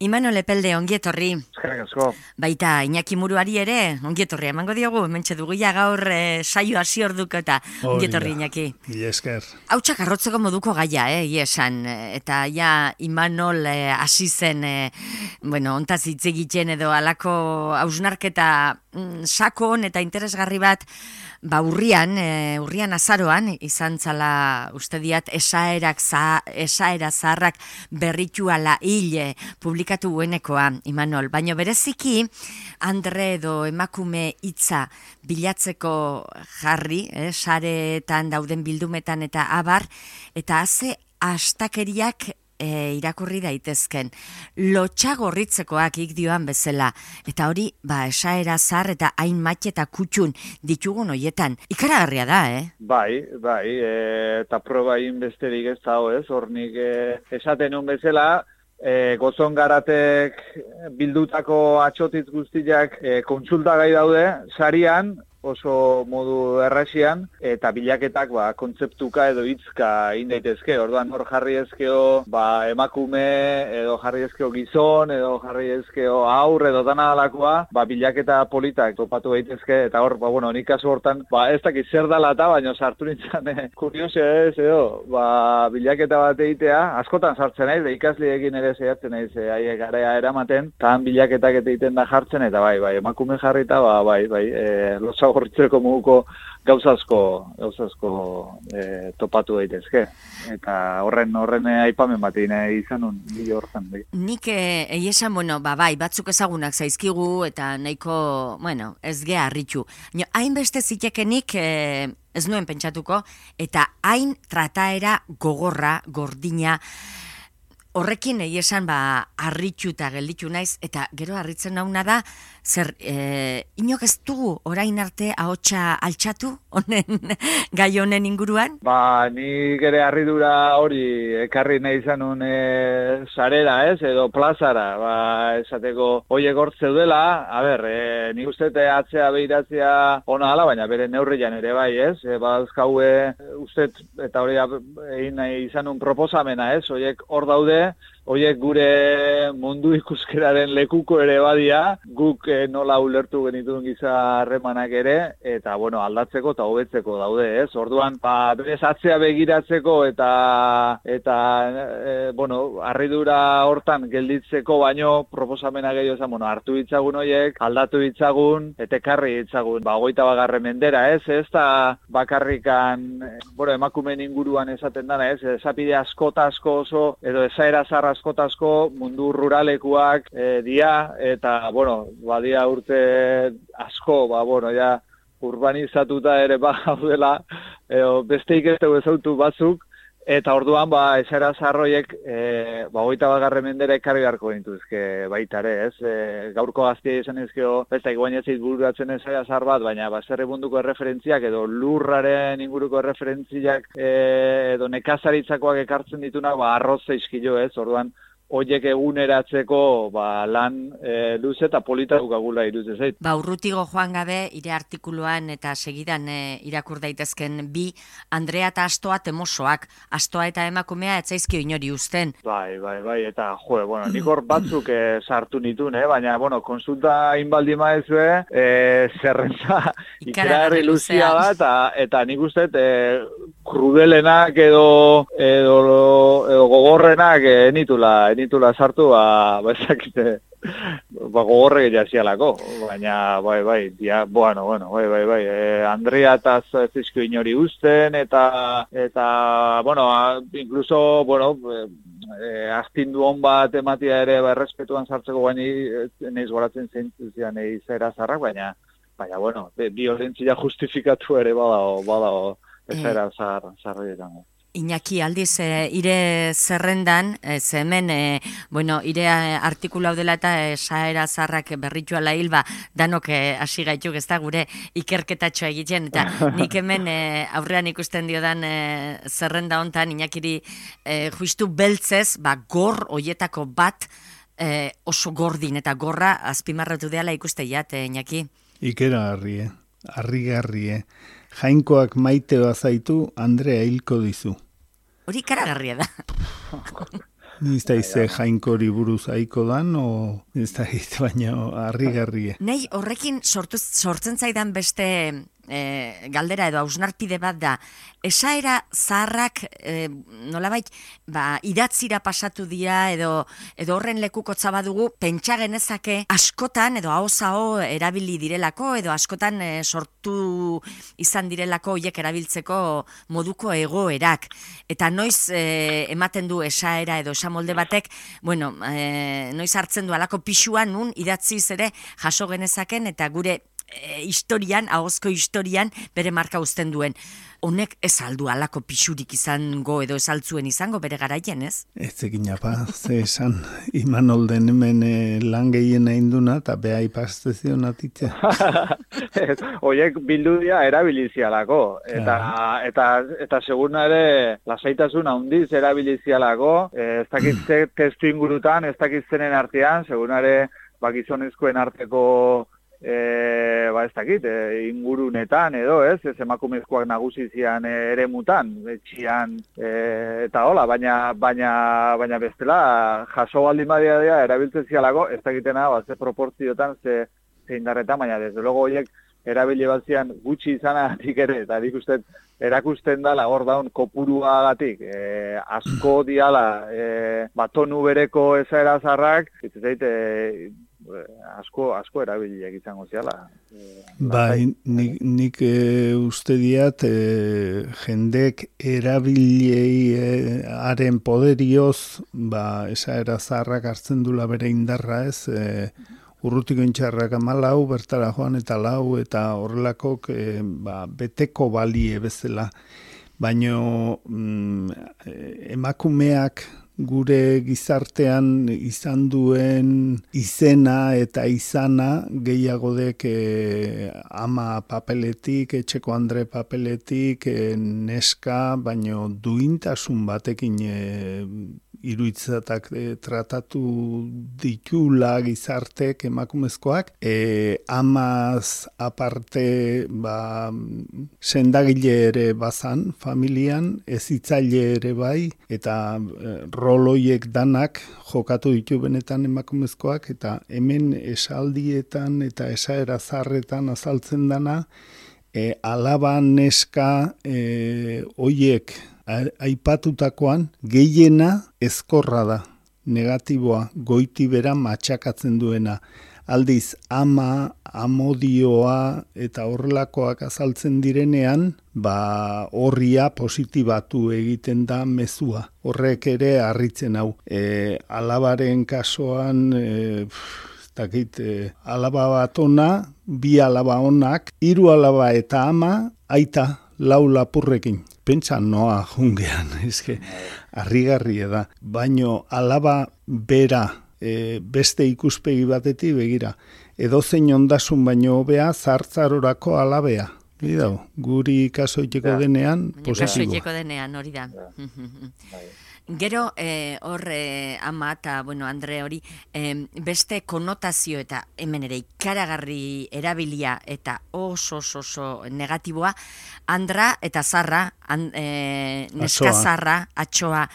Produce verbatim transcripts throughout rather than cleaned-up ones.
Imanol Epelde, ongietorri. Eskerrik asko. Baita, Iñaki Muruari ere, ongietorri, emango diogu, mentxe dugu ja gaur e, saio hasi orduko eta ongietorri, Iñaki. Mila esker. Hautsak arrotzeko moduko gaia, eh, iesan, eta ja Imanol e, hasi zen, e, bueno, ontaz hitz egiten edo alako hausnarketa mm, sakon eta interesgarri bat, ba urrian, e, urrian azaroan, izan zala uste diat esaerak, za, esaera zaharrak berrituala hile publikatu guenekoa, Imanol. Baina bereziki, andre edo emakume hitza bilatzeko jarri, eh, sareetan dauden bildumetan eta abar, eta haze astakeriak E, irakurri daitezken, lotxagorritzekoak ikdioan bezala, eta hori, ba, esaera zar eta hain matxe eta kutxun ditugun hoietan. Ikaragarria da, eh? Bai, bai, e, eta proba egin besterik ez dago, ez? Hornik e, esaten nun bezala, e, gozon garatek bildutako atxotitz guztiak e, kontsultagai daude, sarian, oso modu errasian, eta bilaketak ba, kontzeptuka edo hitzka egin daitezke. Orduan hor jarri ezkeo ba, emakume, edo jarri ezkeo gizon, edo jarri ezkeo aur, edo dana alakoa, ba, bilaketa politak topatu daitezke, eta hor, ba, bueno, nik kasu hortan, ba, ez dakit zer dala eta, baina sartu nintzen, eh, kurioso ez, edo, ba, bilaketa bat egitea, askotan sartzen naiz, ikasleekin ere zehatzen naiz, haiek garea eramaten, tan bilaketak eta egiten da jartzen, eta bai, bai, emakume jarrita, ba, bai, bai, e, lotsa gorritzeko muguko gauzazko, gauzazko e, topatu daitezke. Eta horren horren aipamen bat egin izan un, bide horretan. Nik egi esan, bueno, ba, bai, batzuk ezagunak zaizkigu, eta nahiko, bueno, ez geha harritu. Hainbeste zitekenik e, ez nuen pentsatuko, eta hain trataera gogorra, gordina, horrekin egi esan, ba, harritu eta gelditu naiz, eta gero harritzen nauna da, zer, e, inok ez dugu orain arte ahotsa altxatu, honen, gai honen inguruan? Ba, nik ere harridura hori ekarri nahi izanun e, sarera, ez, edo plazara, ba, esateko hoiek hortze dela, a ber, e, nik uste atzea behiratzea ona ala, baina bere neurrian ere bai, ez, e, ba, azkaue, uste, eta hori egin nahi izanun proposamena, ez, hoiek hor daude, Oiek gure mundu ikuskeraren lekuko ere badia, guk eh, nola ulertu genituen giza harremanak ere, eta bueno, aldatzeko eta hobetzeko daude, ez? Orduan, ba, berez atzea begiratzeko eta eta e, bueno, harridura hortan gelditzeko baino proposamena gehiago esan, bueno, hartu ditzagun hoiek, aldatu ditzagun, eta ekarri ditzagun, ba, hogeita bagarren mendera, ez? Ez da bakarrikan, bueno, emakumeen inguruan esaten dana, ez? Esapide askota asko oso, edo esaera zarra askotasko mundu ruralekuak e, dia, eta, bueno, badia urte asko, ba, bueno, ja, urbanizatuta ere ba gaudela, edo besteik ez dugu ezautu batzuk, eta orduan, ba, esera zarroiek, e, ba, hogeita bagarren mendera ekarri beharko gintuzke baita ere, ez? E, gaurko gaztia izan ezkeo, ez da, iguainatzeit bururatzen esera zar bat, baina, ba, zerre munduko erreferentziak, edo lurraren inguruko erreferentziak, e, edo nekazaritzakoak ekartzen ditunak, ba, arroz zeizkilo, ez? Orduan, hoiek eguneratzeko ba, lan e, luze eta polita dukagula irudze zait. Ba, urrutigo joan gabe, ire artikuluan eta segidan e, irakur daitezken bi, Andrea eta Astoa temosoak, Astoa eta emakumea etzaizkio inori uzten. Bai, bai, bai, eta jo, bueno, nik hor batzuk e, sartu nitun, eh? Baina, bueno, konsulta inbaldi maezue, e, zerrentza ikaragarri luzia da, eta, eta nik uste, e, krudelenak edo, edo, edo gogorrenak e, nitula, nitula sartu, ba, ba ezakite, ba, gogorre jazialako, baina, bai, bai, dia, bueno, bueno, bai, bai, bai, e, Andrea eta zizko inori uzten, eta, eta, bueno, a, incluso, bueno, e, e, astindu hon bat ematia ere, ba, errespetuan sartzeko baini, neiz goratzen zeintzutian izera zarrak, baina, baina, bueno, violentzia justifikatu ere badao, badao, ez era zar, zarrietan. Iñaki, aldiz, e, ire zerrendan, e, ze hemen, e, bueno, ire artikula dela eta esaera zarrak berritu ala hilba, danok hasi gaituk ez da gure ikerketatxoa egiten, eta nik hemen e, aurrean ikusten diodan e, zerrenda hontan, Iñakiri e, juistu beltzez, ba, gor hoietako bat e, oso gordin, eta gorra azpimarratu deala ikuste jat, e, Iñaki. Ikera harrie, harrigarrie. Jainkoak maite bazaitu, Andrea hilko dizu. Hori karagarria da. Ni ez da ize jainkori buruz aiko dan, o ez da egite baina harrigarrie. Nei horrekin sortu, sortzen zaidan beste e, galdera edo hausnarpide bat da, esaera zaharrak e, nolabait ba, idatzira pasatu dira edo, edo horren lekukotza badugu, pentsa genezake askotan edo hau erabili direlako edo askotan e, sortu izan direlako hoiek erabiltzeko moduko egoerak. Eta noiz e, ematen du esaera edo esamolde batek, bueno, e, noiz hartzen du alako pixuan nun idatziz ere jaso genezaken eta gure e, historian, ahozko historian bere marka uzten duen. Honek ez aldu alako pixurik izango edo ez altzuen izango bere garaien, ez? Ez egin apa, ze esan, Imanolden hemen e, lan gehien egin duna eta beha ipaztezion atitze. Oiek bildudia erabilizialako, eta, eta, eta segurna ere lasaitasun handiz erabilizialako, ez dakit testu ingurutan, ez dakit zenen artean, segurna ere bakizonezkoen arteko E, ba ez dakit, e, ingurunetan edo, ez, ez emakumezkoak nagusi zian e, ere mutan, etxian, e, eta hola, baina, baina, baina bestela, jaso baldin badia dira, erabiltzen zialako, ez dakitena, ba, ze proportziotan, ze, ze indarretan, baina desde logo horiek erabili bat zian gutxi izanatik ere, eta dik uste erakusten dala hor daun kopuruagatik, e, asko diala, e, batonu bereko ezaera zarrak, ez zaite, e, asko asko erabiliak izango ziala. Bai, nik, nik e, uste diat e, jendek erabiliei e, haren poderioz, ba, esaera zaharrak hartzen dula bere indarra ez, e, urrutiko intxarrak amalau, bertara joan eta lau, eta horrelakok e, ba, beteko balie bezala. Baino mm, emakumeak gure gizartean izan duen izena eta izana gehiago dek e, ama papeletik, etxeko andre papeletik, e, neska, baino duintasun batekin e, iruitzatak e, tratatu ditula gizartek emakumezkoak, e, amaz aparte ba, sendagile ere bazan familian, ezitzaile ere bai, eta e, roloiek danak jokatu ditu benetan emakumezkoak, eta hemen esaldietan eta esaera zarretan azaltzen dana, e, alaba neska e, oiek aipatutakoan gehiena ezkorra da, negatiboa, goiti bera matxakatzen duena. Aldiz, ama, amodioa eta horrelakoak azaltzen direnean, ba horria positibatu egiten da mezua. Horrek ere harritzen hau. E, alabaren kasuan, e, dakit, e, alaba bat ona, bi alaba onak, hiru alaba eta ama, aita, lau lapurrekin. Pentsa noa jungean, eske, harrigarria da. Baino alaba bera, e, beste ikuspegi batetik begira. Edozein ondasun baino hobea zartzarorako alabea. Gidau, guri kasoiteko ja. denean, positiboa. Kasoiteko denean, hori da. Ja. Gero, eh, hor eh, ama eta, bueno, Andre hori, eh, beste konotazio eta hemen ere ikaragarri erabilia eta oso oso, oso negatiboa, Andra eta Zarra, an, eh, neska Zarra, atxoa,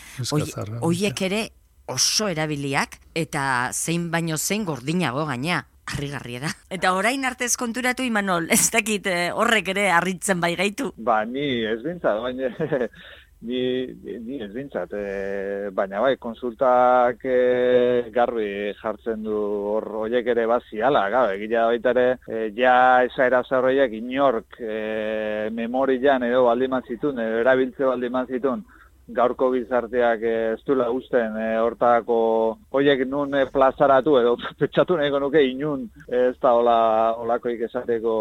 hoiek ere oso erabiliak eta zein baino zein gordinago gaina. Harrigarria da. Eta orain artez konturatu, Imanol, ez dakit horrek ere harritzen bai gaitu? Ba, ni ez bintzat, baina ni, ni ez bintzat, e, baina bai, konsultak e, garbi jartzen du hor horiek ere baziala, gabe, egila baita ere, e, ja esaera zarroiak inork e, memorian edo baldiman zitun, edo erabiltze baldiman zitun, gaurko gizarteak ez duela usten e, hortako horiek nun e, plazaratu edo petxatu nahiko nuke inun ez da hola, holakoik esateko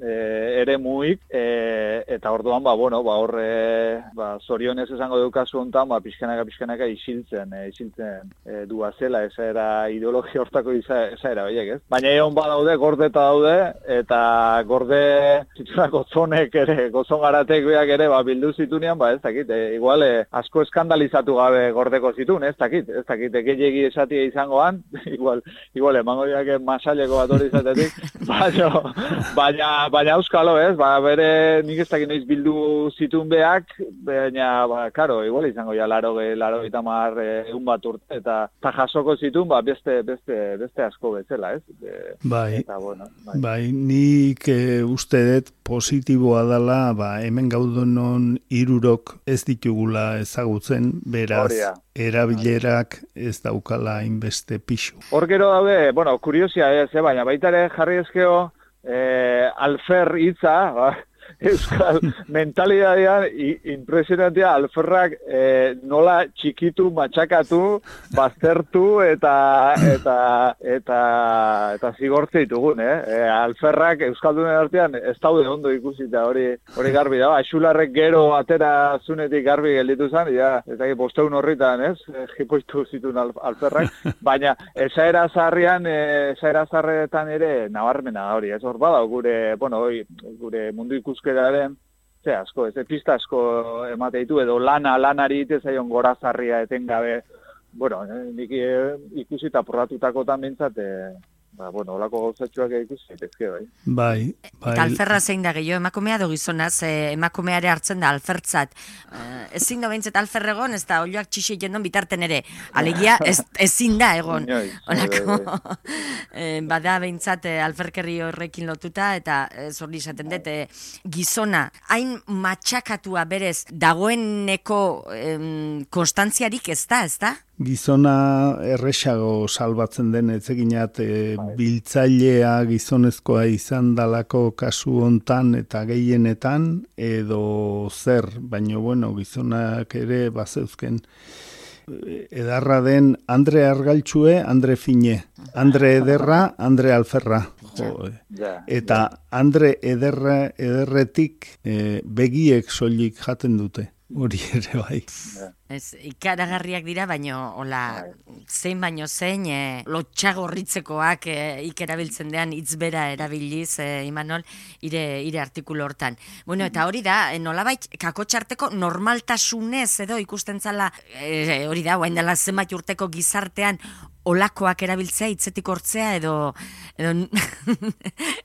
e, ere muik e, eta orduan ba, bueno, ba, horre ba, zorionez esango dukazu hontan ba, pixkanaka pixkanaka isiltzen e, isiltzen e, duazela esaera ideologia hortako esaera horiek ez. Baina egon badaude, gordeta daude eta gorde zituna gotzonek ere, gotzon garatek beak ere ba, bildu zitunean, ba ez dakit, e, igual e, asko eskandalizatu gabe gordeko zitun, ez dakit, ez dakit, gehiegi esatia izangoan, igual, igual, emango diake masaileko bat hori izatetik, baina, baina, baina euskalo, ez, ba, bere, nik ez dakit noiz bildu zitun beak, baina, ba, karo, igual izango ja, laro, laro itamar egun bat urte, eta, eta jasoko zitun, ba, beste, beste, beste asko bezala, ez? E, bai, eta, bueno, bai. bai, nik e, uste dut positiboa dela, ba, hemen gaudenon hirurok ez ditugula ezagutzen, beraz, Oria. Erabilerak ez daukala inbeste pixu. Hor gero daude, bueno, kuriosia ez, eh, baina baita ere jarri ezkeo, eh, alfer hitza, ba, euskal mentalidadean impresionantea alferrak eh, nola txikitu, matxakatu, baztertu eta eta eta eta zigortze ditugun, eh? E, alferrak euskaldunen artean ez daude ondo ikusita hori hori garbi da. Xularrek gero atera zunetik garbi gelditu zen, ja, ez dakit bosteun horritan, ez? Jipoitu zituen al, alferrak, baina esaera zarrian, esaera zarretan ere nabarmena hori, ez hor bada gure, bueno, hori, gure mundu ikuskeraren, ze asko, ez pista asko emate ditu, edo lana, lanari ite zaion gorazarria etengabe, bueno, eh, nik eh, ikusita porratutakotan bintzat, eh, ba, bueno, olako gauzatxoak ikusi daitezke, bai. Bai, bai. Eta alferra zein da gehiago, emakumea do gizonaz, eh, emakumeare hartzen da alfertzat. Eh, ezin da behintzet alfer egon, ez da olioak txixi jendon bitarten ere. Alegia, ez, ezin da egon. Olako, eh, bada behintzat eh, alferkerri horrekin lotuta, eta eh, zorri esaten dut, eh, gizona, hain matxakatua berez, dagoeneko eh, konstantziarik ez da, ez da? Gizona erresago salbatzen den etzeginat e, biltzailea gizonezkoa izan dalako kasu hontan eta gehienetan edo zer, baina bueno, gizonak ere bazeuzken edarra den Andre Argaltxue, Andre Fine, Andre Ederra, Andre Alferra. Jo, eta Andre Ederra, Ederretik e, begiek soilik jaten dute. Hori ere bai. Ez, ikaragarriak dira, baino, hola, zein baino zein, e, lotxagorritzekoak e, ikerabiltzen dean hitzbera erabiliz, e, Imanol, ire, ire artikulu hortan. Bueno, eta hori da, e, nolabait, kakotxarteko normaltasunez edo ikusten zala, e, hori da, guain dela zenbait urteko gizartean, olakoak erabiltzea, hitzetik hortzea, edo, edo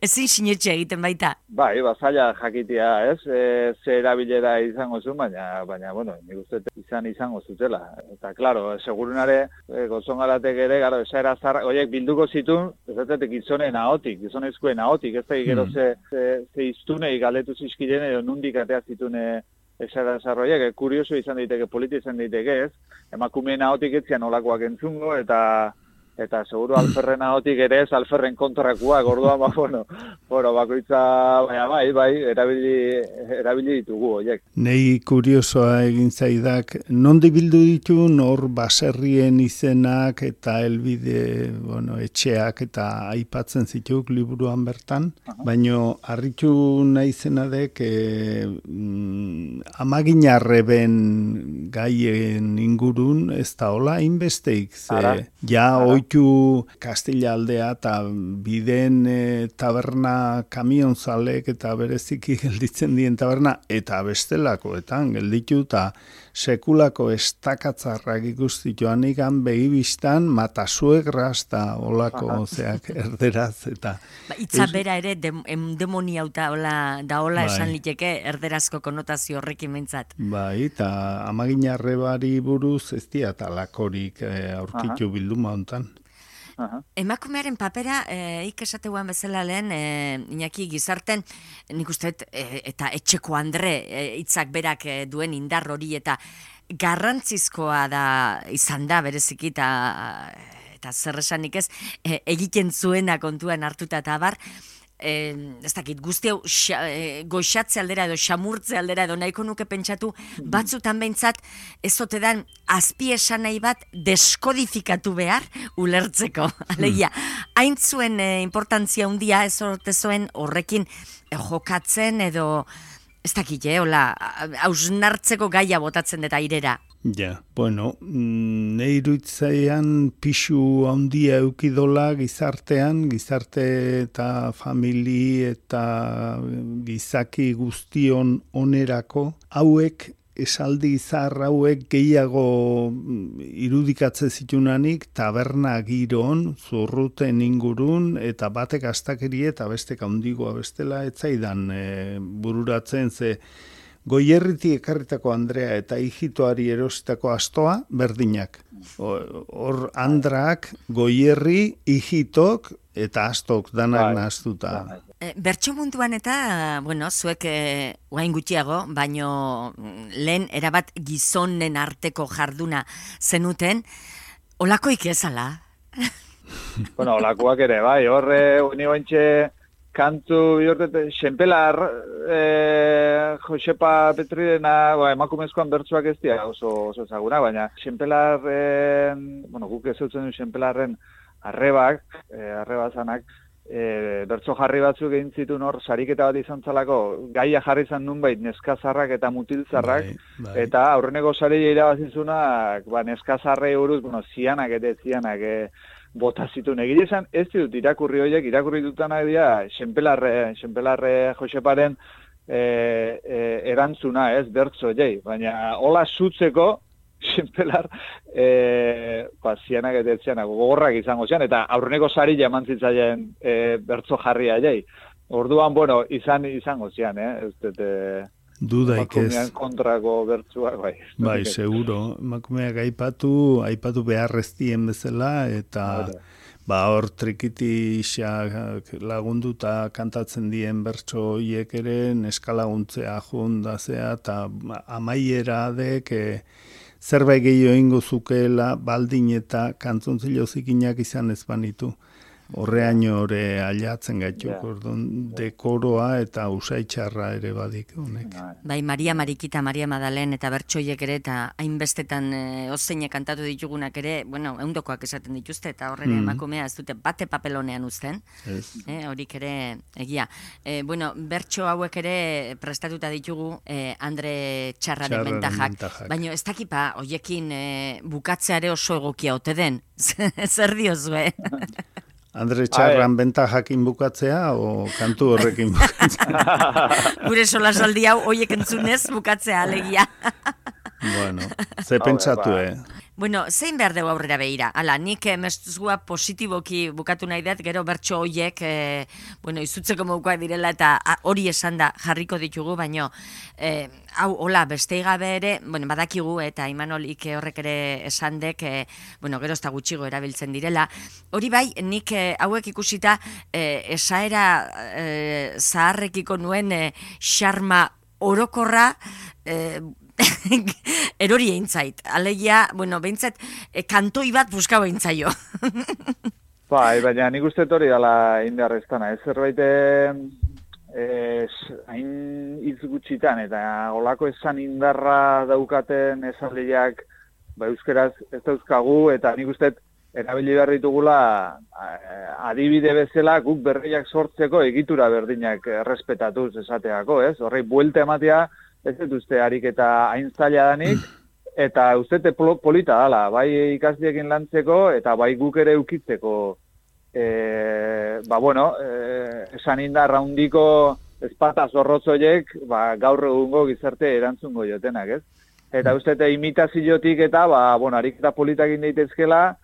ezin sinetxe egiten baita. Bai, bazaila jakitea, ez? E, ze erabilera izango zuen, baina, baina, bueno, nik uste izan izango zutela. Eta, klaro, segurunare, e, gozongaratek ere, gara, esaera zarra, oiek bilduko zitun, ez dut gizonen ahotik, gizonezkoen ahotik, ez da, gero ze, ze, ze iztunei galetu zizkiren, edo nundik atea zitune esaera zarroiek, kurioso izan daiteke, politi izan daiteke, ez? Emakumeen ahotik etzian olakoak entzungo, eta eta seguru alferren ahotik ere ez alferren kontrakuak, orduan, ba, bueno, bueno, bakoitza, baina bai, bai, erabili, erabili ditugu, oiek. Nei kuriosoa egin zaidak, nondi bildu ditu nor baserrien izenak eta helbide, bueno, etxeak eta aipatzen zituk liburuan bertan, uh-huh. Baino harritu nahi zenadek e, mm, amaginarreben gaien ingurun ez da hola inbesteik, ze Ara. ja Ara. Oitu Kastilla aldea eta biden e, taberna kamionzalek eta bereziki gelditzen dien taberna eta bestelakoetan gelditu eta sekulako estakatzarrak ikustituan ikan begibistan matasuegraz eta olako zeak erderaz eta... Ba, itza bera ere dem, demoniauta hola, da hola bai. Esan liteke erderazko konotazio horrekin mentzat. Bai, eta amaginarrebari buruz ez diat alakorik e, aurkitu bilduma hontan. Aha. Emakumearen papera, e, ikesateuan bezala lehen, e, Iñaki gizarten, nik uste, e, eta etxeko Andre hitzak e, berak e, duen indar hori, eta garrantzizkoa da izan da bereziki, eta, eta zer esanik ez, e, egiten zuena kontuan hartuta eta abar, Eh, ez dakit, guzti hau e, goxatze aldera edo xamurtze aldera edo nahiko nuke pentsatu batzutan behintzat ez ote dan azpi esan nahi bat deskodifikatu behar ulertzeko. Alegia, hain zuen e, importantzia handia ez ote zuen horrekin e, jokatzen edo ez dakit, eh, hola, hausnartzeko gaia botatzen deta airera. Ja, bueno, nahi iruditzaian pixu handia eukidola gizartean, gizarte eta famili eta gizaki guztion onerako, hauek esaldi zahar hauek gehiago irudikatze zitunanik taberna giron, zurruten ingurun, eta batek astakeri eta bestek handigoa bestela, etzaidan e, bururatzen ze Goierriti ekarritako Andrea eta hijitoari erositako astoa berdinak. Hor Andrak, Goierri, hijitok eta astok danak nahaztuta. E, bertso munduan eta, bueno, zuek e, guain gutxiago, baino lehen erabat gizonen arteko jarduna zenuten, olakoik ezala? Bueno, olakoak ere, bai, horre uni ointxe kantu bihortet, Xenpelar, eh, Josepa Petridena, ba, emakumezkoan bertsuak ez dira oso, oso ezaguna, baina Xenpelarren, bueno, guk ez dutzen du Xenpelarren arrebak, eh, arrebazanak, eh, bertso jarri batzuk egin zituen hor, sariketa bat izan zalako, gaia jarri zan nunbait neskazarrak eta mutilzarrak, bai, bai. Eta aurreneko saria irabazizunak, ba, neskazarrei buruz, bueno, zianak eta zianak, eh, bota zituen. Egile esan, ez dut irakurri horiek, irakurri dutanak dira, Xenpelarre, Xenpelarre Joseparen e, e, erantzuna, ez, bertzo jai. Baina, hola zutzeko, Xenpelar, e, ba, zianak eta zianak, gogorrak izango zian, eta aurreneko sari jaman zitzaien e, bertzo jarria jai. Orduan, bueno, izan izango zian, eh, ez dut, e, dudaik ez. Kontrako bertsuak, bai. Bai, seguro. Emakumeak aipatu, aipatu beharreztien bezala, eta ba hor trikitixak lagunduta kantatzen dien bertso hiek ere, neskalaguntzea jundazea, eta amaiera dek e, zerbait gehiago ingo zukeela, baldin eta kantzontzilo zikinak izan ez banitu. Horreaino ore aliatzen gaituk, yeah. Orduan dekoroa eta usaitxarra ere badik honek. Bai, Maria Marikita, Maria Madalen eta bertsoiek ere eta hainbestetan e, ozeinek kantatu ditugunak ere, bueno, eundokoak esaten dituzte eta horren mm. emakumea ez dute bate papelonean uzten, yes. e, horik ere egia. E, bueno, bertso hauek ere prestatuta ditugu e, Andre Txarraren bentajak, baina ez dakipa hoiekin e, bukatzeare oso egokia ote den, zer diozue? Andre Txarran bentajakin bukatzea o kantu horrekin bukatzea? Gure solasaldi hau hoiek entzunez bukatzea alegia. Bueno, ze pentsatu, eh? Bueno, zein behar dugu aurrera behira? Hala, nik mestuzua positiboki bukatu nahi dut, gero bertso hoiek, e, bueno, izutzeko modukoak direla eta hori esan da jarriko ditugu, baino, e, hau, hola, beste gabe ere, bueno, badakigu eta Imanol Ike horrek ere esan dek, e, bueno, gero ez da gutxigo erabiltzen direla. Hori bai, nik e, hauek ikusita, e, esaera e, zaharrekiko nuen e, xarma orokorra, e, erori egin zait. Alegia, bueno, behintzat, e, kantoi bat buskau egin zaio. Bai, baina nik uste hori dala indarreztana. Ez zerbait hain hitz gutxitan, eta olako esan indarra daukaten esaldiak ba, euskeraz ez dauzkagu, eta nik uste erabili behar ditugula adibide bezala guk berriak sortzeko egitura berdinak errespetatuz esateako, ez? Horrei, buelta ematea, ez dut uste harik eta hain zaila danik, eta uste polita dala, bai ikasliekin lantzeko, eta bai guk ere ukitzeko, e, ba bueno, e, esan indar raundiko ezpata zorrotzoiek, ba, gaur egungo gizarte erantzungo jotenak, ez? Eta uste eta imitaziotik eta, ba, bueno, harik eta politak indeitezkela,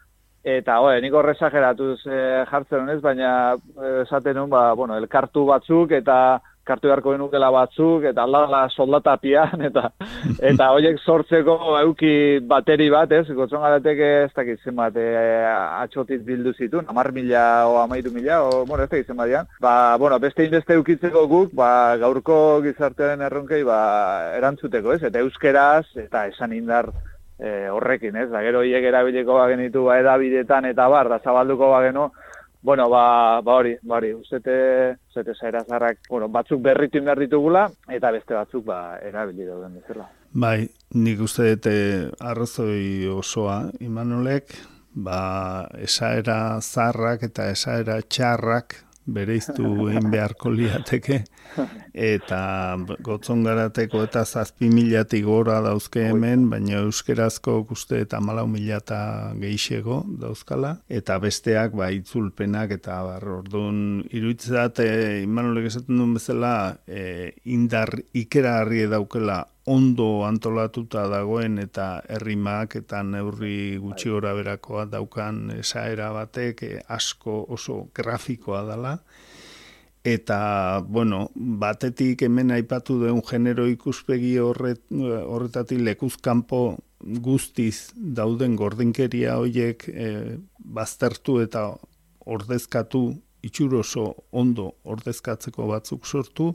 eta, oe, nik horrezageratuz e, jartzen honez, baina esaten nun, ba, bueno, elkartu batzuk, eta kartu beharko genukela batzuk, eta aldala soldatapian, eta eta horiek sortzeko euki bateri bat, ez? Gotzon garateke ez dakit zenbat e, atxotiz bildu zituen, amar mila o amairu mila, o, bueno, ez dakit zenbat dian. Ba, bueno, beste inbeste eukitzeko guk, ba, gaurko gizartearen erronkei, ba, erantzuteko, ez? Eta euskeraz, eta esan indar e, horrekin, ez? Da, gero hiek erabiliko bagenitu, ba, edabidetan, eta bar, da zabalduko bageno, bueno, ba, ba hori, ba hori, ustete, ustete zaira zarrak, bueno, batzuk berritu behar ditugula, eta beste batzuk, ba, erabili dauden bezala. Bai, nik uste dute arrazoi osoa, Imanolek, ba, esaera zarrak eta esaera txarrak bereiztu egin beharko liateke, eta gotzon garateko eta zazpi milatik gora dauzke hemen, baina euskerazko uste eta malau mila eta geixego dauzkala, eta besteak ba, itzulpenak eta bar, orduan iruditzat, e, Imanolek esaten duen bezala, e, indar ikera harri daukela ondo antolatuta dagoen eta errimak eta neurri gutxi gora berakoa daukan esaera batek asko oso grafikoa dela. Eta, bueno, batetik hemen aipatu duen genero ikuspegi horret, horretatik lekuzkanpo guztiz dauden gordinkeria horiek e, baztertu eta ordezkatu, itxuroso ondo ordezkatzeko batzuk sortu,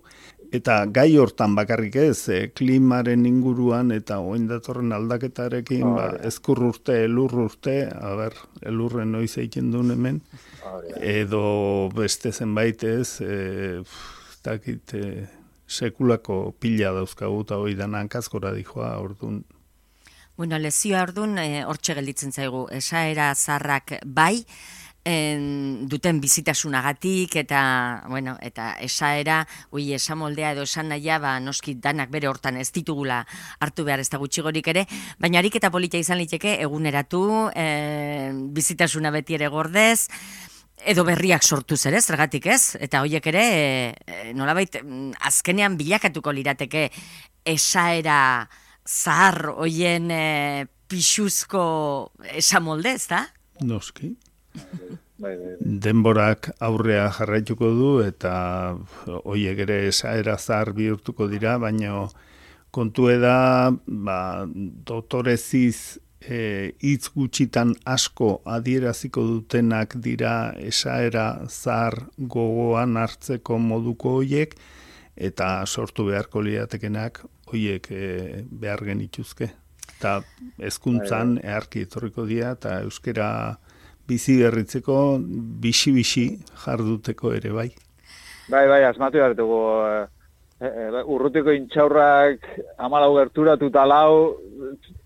eta gai hortan bakarrik ez, e, klimaren inguruan eta oin datorren aldaketarekin, oh, ba, ezkur urte, elur urte, a ber, elurren noiz egiten duen hemen, oh, edo beste zenbait ez, e, dakit, e, sekulako pila dauzkagu eta hori dana hankazkora dijoa, orduan. Bueno, lezioa orduan, hortxe e, gelditzen zaigu, esaera zarrak bai, En, duten bizitasunagatik eta bueno, eta esaera, ui esamoldea edo esan nahia, ba, noski danak bere hortan ez ditugula hartu behar ez da gutxigorik ere, baina harik eta politia izan liteke eguneratu, e, bizitasuna beti ere gordez, edo berriak sortuz ere, zergatik ez, eta horiek ere, e, nolabait, azkenean bilakatuko lirateke esaera zahar hoien e, pixuzko esamolde, ez da? Noski. Denborak aurrea jarraituko du eta hoiek ere esaera zahar bihurtuko dira, baina kontue da, ba, doktoreziz e, hitz gutxitan asko adieraziko dutenak dira esaera zahar gogoan hartzeko moduko hoiek, eta sortu beharko liatekenak hoiek e, behar genituzke. Eta hezkuntzan eharki etorriko dira eta euskera bizi berritzeko, bisi-bisi jarduteko ere bai. Bai, bai, asmatu behar dugu. E, e, urrutiko intxaurrak amalau gerturatu talau,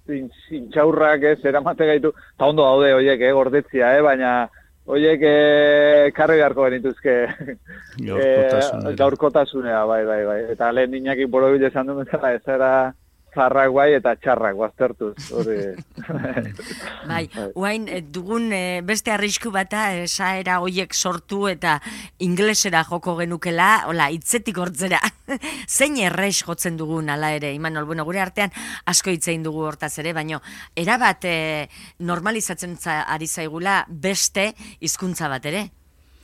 intxaurrak ez, eramate gaitu, eta ondo daude horiek, eh, gordetzia, eh, baina horiek eh, karri beharko benituzke gaurkotasunera. E, gaurkotasunera, bai, bai, bai. Eta lehen niñaki borobile esan duen bezala, ez era zarrak bai eta txarrak baztertuz. Bai, uain dugun beste arrisku bata esaera hoiek sortu eta inglesera joko genukela, hola, hitzetik hortzera. Zein errex jotzen dugun ala ere, Imanol, bueno, gure artean asko hitzein dugu hortaz ere, baina erabat e, normalizatzen ari zaigula beste hizkuntza bat ere.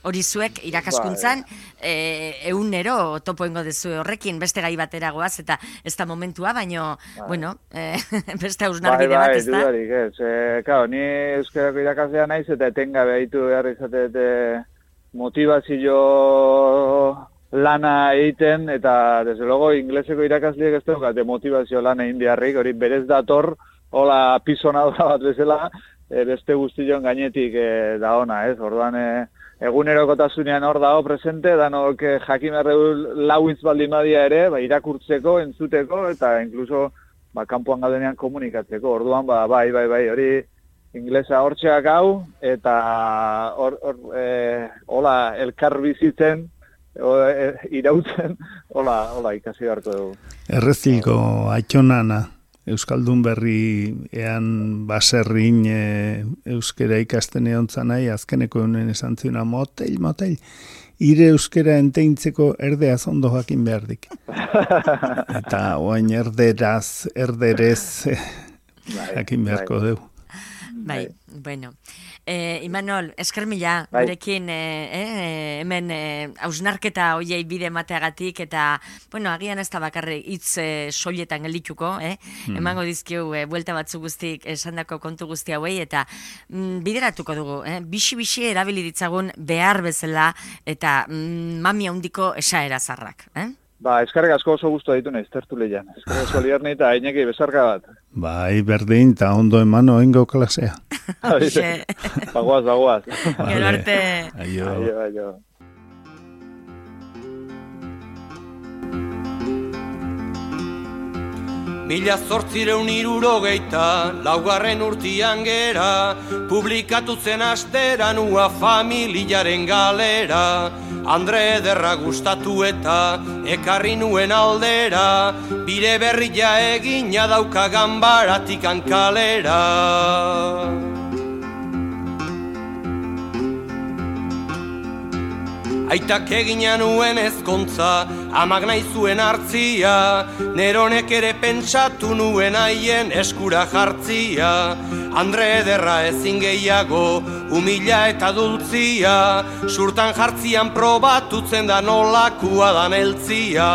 Hori zuek irakaskuntzan e, eunero topo ingo dezu horrekin, beste gai batera goaz, eta ez da momentua, baina, bueno, e, beste hausnarbide bat ez da. Bai, bai, dudarik ez. E, Kao, ni euskarako irakaslea naiz, eta etengabe haitu behar izatete motivazio lana egiten, eta, desde logo, ingleseko irakasleek ez daukate motivazio lana egin beharrik, hori berez dator, hola pisonadora bat bezala, e, beste guztion gainetik e, da ona, ez? Orduan, e, egunerokotasunean hor dago presente, danok jakin berreu lauintz baldin badia ere, ba, irakurtzeko, entzuteko, eta inkluso ba, kanpoan gaudenean komunikatzeko. Orduan, ba, bai, bai, bai, hori inglesa hortxeak hau, eta hor, hor, e, hola, elkar bizitzen, o, e, irautzen, hola, hola, ikasi beharko dugu. Errezilko aitxonana. Euskaldun berri ean baserrin e, euskera ikasten egon zanai, azkeneko honen esan ziona, motel, motel, ire euskera enteintzeko erdeaz ondo jakin behar dik. Eta oain erderaz, erderez jakin beharko dugu. Bai, bueno. Eh, Imanol, esker mila, bai. Gurekin eh, eh, hemen hausnarketa eh, hoiei bide emateagatik, eta, bueno, agian ez da bakarri hitz eh, soiletan geldituko, eh? Hmm. Emango dizkiu, eh, buelta batzu guztik esandako kontu guzti hauei, eta mm, bideratuko dugu, eh? Bixi-bixi erabili ditzagun behar bezala, eta mm, mami handiko esaera zarrak, eh? Ba, eskarrik asko oso guztu ditu nahiz, tertu lehian. Eskarrik asko liarni eta Iñaki besarka bat. Bai, berdin, eta ondo emano oingo klasea. Bagoaz, bagoaz. Gero arte. Aio. Aio, aio. Mila zortzireun irurogeita, laugarren urtian gera, publikatu zen asteran ua familiaren galera. Andre ederra gustatu eta ekarri nuen aldera, bire berria egina dauka ganbaratik ankalera. Aitak egina nuen ezkontza, amak nahi zuen hartzia, neronek ere pentsatu nuen haien eskura jartzia. Andre ederra ezin gehiago, humila eta dultzia, surtan jartzian probatutzen da nolakua dan eltzia.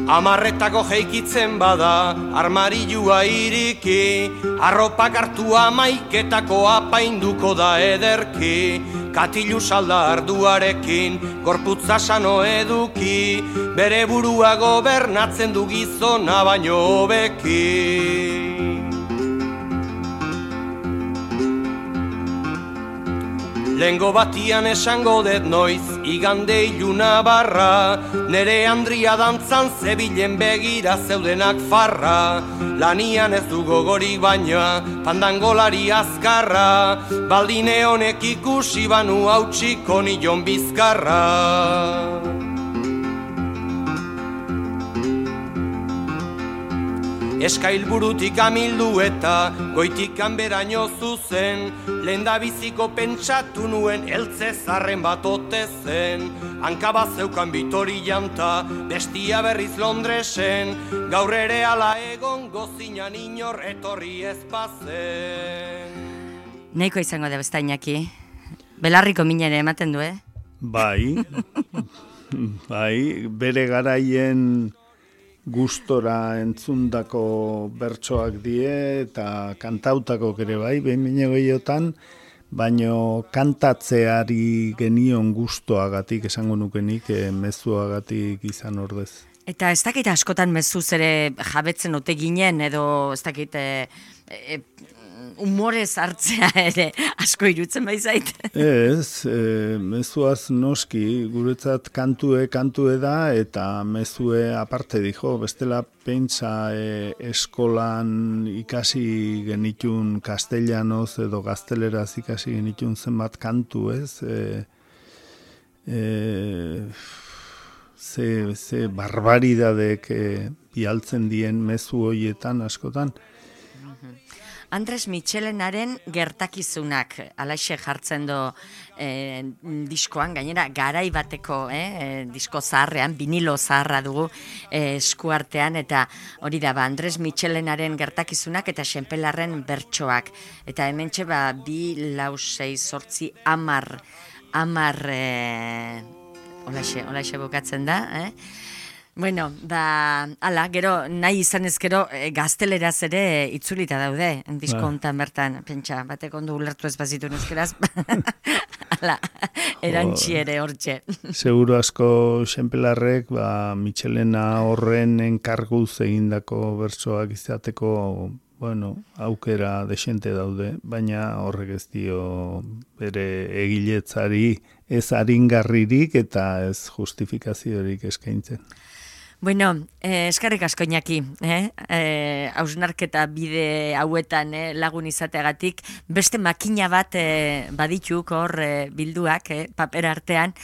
Amarretako jeikitzen bada, armarilua iriki, arropak hartu amaiketako apainduko da ederki, katilu salda arduarekin, gorputza sano eduki, bere burua gobernatzen du gizona baino hobeki. Lengo batian esango det noiz, igande iluna barra, nere Andria dantzan zebilen begira zeudenak farra, lanian ez du gogorik baina, pandangolari azkarra, baldine honek ikusi banu hautsiko nion bizkarra. Eskailburutik amildu eta goitik kanberaino zuzen, lehendabiziko pentsatu nuen eltze zarren bat ote zen, hankabaz zeukan Bitori janta, bestia berriz Londresen, gaur ere ala egon gozinan inor etorri ez bazen. Neiko izango da besta Iñaki, belarriko minere ematen du, eh? Bai, bai, bere garaien gustora entzundako bertsoak die eta kantautako ere bai, behin bine gehiotan, baino kantatzeari genion gustoagatik esango nukenik, e, mezuagatik izan ordez. Eta ez dakit askotan mezuz ere jabetzen ote ginen, edo ez dakit e, e, humorez hartzea ere asko irutzen baizait. Ez, e, mezuaz noski, guretzat kantue kantue da, eta mezue aparte dijo, bestela pentsa e, eskolan ikasi genitun castellanoz edo gazteleraz ikasi genitun zenbat kantu, ez? E, e, ze, ze barbaridadek e, bialtzen dien mezu hoietan askotan. Andres Mitxelenaren gertakizunak, alaxe jartzen do eh, diskoan, gainera garai bateko eh, disko zaharrean, vinilo zaharra dugu eh, eskuartean, eta hori da, ba, Andres Mitxelenaren gertakizunak eta Xenpelarren bertsoak. Eta hementxe ba, bi, lau, sei, sortzi, amar, amar, eh, olaxe, olaxe bukatzen da, eh? Bueno, da, ala, gero, nahi izan ez gero, e, gazteleraz ere itzulita daude, diskontan bertan, pentsa, batek ondo ulertu ez bazitu nuzkeraz, ala, erantzi ere hortxe. Seguro asko Xenpelarrek, ba, Mitxelena horren enkarguz egindako bertsoak izateko, bueno, aukera desente daude, baina horrek ez dio bere egiletzari ez aringarririk eta ez justifikaziorik eskaintzen. Bueno, eh, eskarrik asko Iñaki, eh? eh, hausnarketa bide hauetan eh, lagun izateagatik, beste makina bat eh, badituk hor eh, bilduak, eh, paper artean,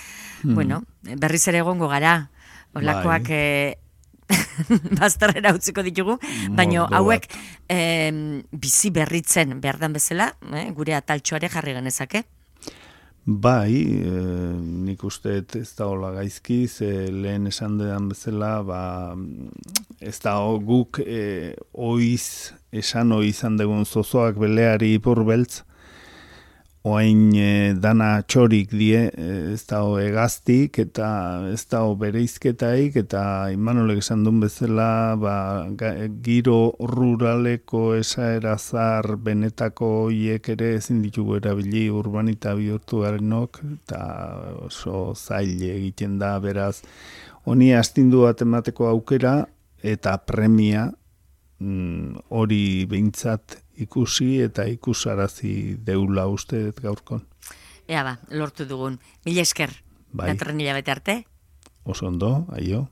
mm. bueno, berriz ere egongo gara, olakoak eh, bazterrera utziko ditugu, baina hauek eh, bizi berritzen behar dan bezala, eh, gure ataltxoare jarri genezake. Bai, e, nik uste ez da hola gaizki, ze lehen esan dedan bezala, ba, ez da guk e, oiz, esan oizan degun zozoak beleari ipur beltz, oain e, dana txorik die, ez da egaztik eta ez da bereizketaik, eta Imanolek esan duen bezala, ba, giro ruraleko esaerazar benetako hiek ere ezin ditugu erabili urbanita bihurtu garenok, eta oso zail egiten da, beraz, honi astindu bat emateko aukera, eta premia hori mm, behintzat ikusi eta ikusarazi deula uste gaurkon. Ea ba, lortu dugun. Mila esker. Bai. Datorren hilabete arte. Oso ondo, aio.